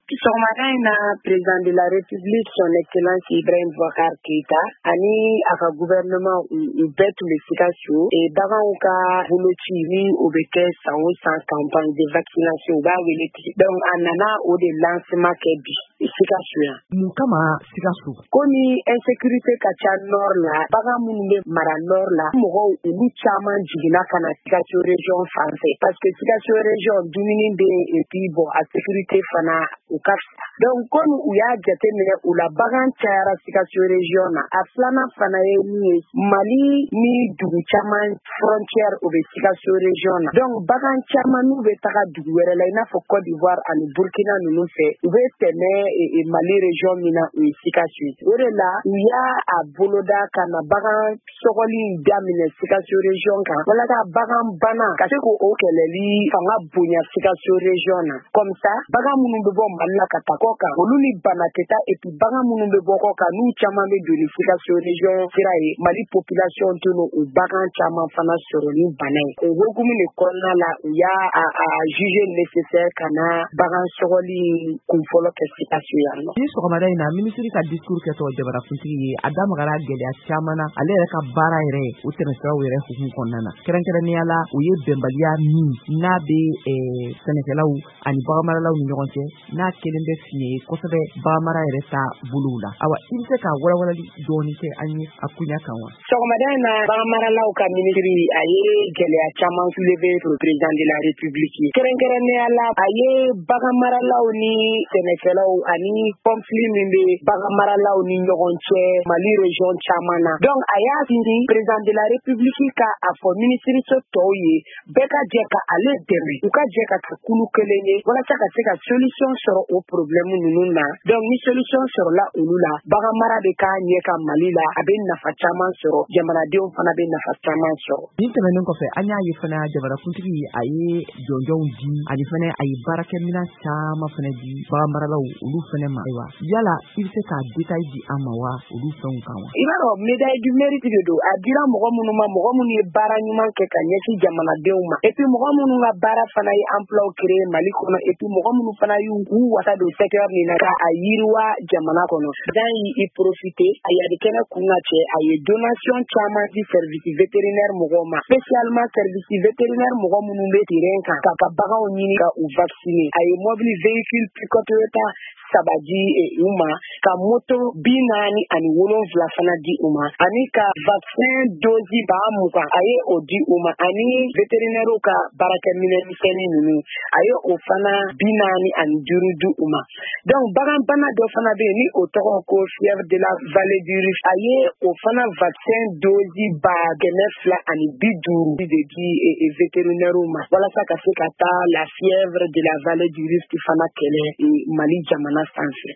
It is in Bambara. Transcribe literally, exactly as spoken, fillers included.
Sɔgɔmada in na, président de la République, Son Excellence Ibrahim Boubacar Keïta, ani a ka gouvernement, u bɛɛ tun bɛ Sikaso. Baganw ka boloci ni o bɛ kɛ san o san, campagne de vaccination u b'a wele ten, donc a nana o de lancement kɛ bi Sikaso yan. Mun kama Sikaso? Komi insécurité ka ca nord la, bagan minnu bɛ mara nord la, mɔgɔw olu caman jiginna ka na Sikaso région fan fɛ, parce que Sikaso région dumuni bɛ yen et puis bon, a sécurité fana u ka fisa. Donc komi u y'a jateminɛ u la, bagan cayara Sikaso région na. A filanan fana ye min ye, Mali ni dugu caman frontière o bɛ Sikaso région na, donc bagan caman n'u bɛ taga dugu wɛrɛ la, i n'a fɔ Côte d'Ivoire ani Burkina ninnu fɛ, u bɛ tɛmɛ Mali région min na, o ye Sikaso ye. O de la u y'a a boloda ka na bagan sɔgɔli in daminɛ Sikaso région kan, walasa bagan bana ka se k'o kɛlɛli fanga bonya Sikaso région na. Comme ça, bagan minnu bɛ bɔ Mali la ka taa kɔ kan, olu ni bana tɛ taa, et puis bagan minnu bɛ bɔ kɔ kan, n'u caman bɛ don ni Sikaso région sira ye, Mali population tɛ n'o o bagan caman fana sɔrɔ ni bana ye. O hukumu de kɔnɔna la, u y'a a a jugé nécessaire ka na bagan sɔgɔli kunfɔlɔ kɛ Sikaso yan nɔ. Ni sɔgɔmada in na, minisiri ka discours kɛtɔ, jamanakuntigi ye a da magara gɛlɛya caman na ale yɛrɛ ka baara yɛrɛ o tɛmɛsiraw yɛrɛ hukumu kɔnɔna na, kɛrɛnkɛrɛnnenya la o ye bɛnbaliya min n'a bɛ sɛnɛkɛlaw ani baganmaralaw ni ɲɔgɔn cɛ, n'a kelen bɛ fiɲɛ ye kosɛbɛ baganmara yɛrɛ ta bolow la. Awa, i bɛ se ka walawalali dɔɔni kɛ an ye a kunya kan wa? Sɔgɔmada in na, baganmaralaw ka minisiri a ye gɛlɛya caman soulevé pour président de la République ye. Kɛrɛnkɛrɛnnenya la, a ye baganmaralaw ni sɛnɛkɛlaw ani conflit min bɛ baganmaralaw ni ɲɔgɔn cɛ Mali région caman na. Donc a y'a sinsin président de la République ka a fɔ minisiriso tɔw ye, bɛɛ ka jɛ ka ale dɛmɛ, u ka jɛ ka kɛ kulu kelen ye walasa ka se ka solution sɔrɔ o problème ninnu na. Donc ni solution sɔrɔla olu la, baganmara bɛ k'a ɲɛ ka Mali la, a bɛ nafa caman sɔrɔ, jamanadenw fana bɛ nafa caman sɔrɔ. Nin tɛmɛnen kɔfɛ, an y'a ye fana jamanakuntigi a ye jɔnjɔnw di, ani fana a ye baarakɛminɛn caman fana di baganmaralaw olu fana ma. Ayiwa, yala i bɛ se ka détail di an ma wa olu fɛnw kan wa? I b'a dɔn, médaille du mérite de don. A dira mɔgɔ minnu ma, mɔgɔ minnu ye baara ɲuman kɛ ka ɲɛsin jamanadenw ma, et puis mɔgɔ minnu ka baara fana ye emploi créer Mali kɔnɔ, et puis mɔgɔ minnu fana y'u u wasa don secteur min na ka a yiriwa jamana kɔnɔ. Dan y'i profiter a yadi kɛnɛ kun ka cɛ, a ye donation caman di service vétérinaire mɔgɔw ma, spécialement service vétérinaire mɔgɔ minnu bɛ terrain kan ka ka baganw ɲini ka u vacciner. A ye mobili véhicule pick-up Toyota saba di u ma, ka moto bi naani ani wolonfila fana di u ma, ani ka vaccin dose ba mugan a ye o di u ma, ani vétérinaire ka baarakɛminɛn misɛnnin ninnu, a ye o fana bi naani ani duuru di u ma. Donc bagan bana dɔ fana bɛ yen ni o tɔgɔ ko fièvre de la vallée du Rift, a ye o fana vaccin dose ba kɛmɛ fila ani bi duuru de di vétérinaire ma, walasa ka se ka taa la fièvre de la vallée du Rift fana kɛlɛ Mali jamana sanfɛ.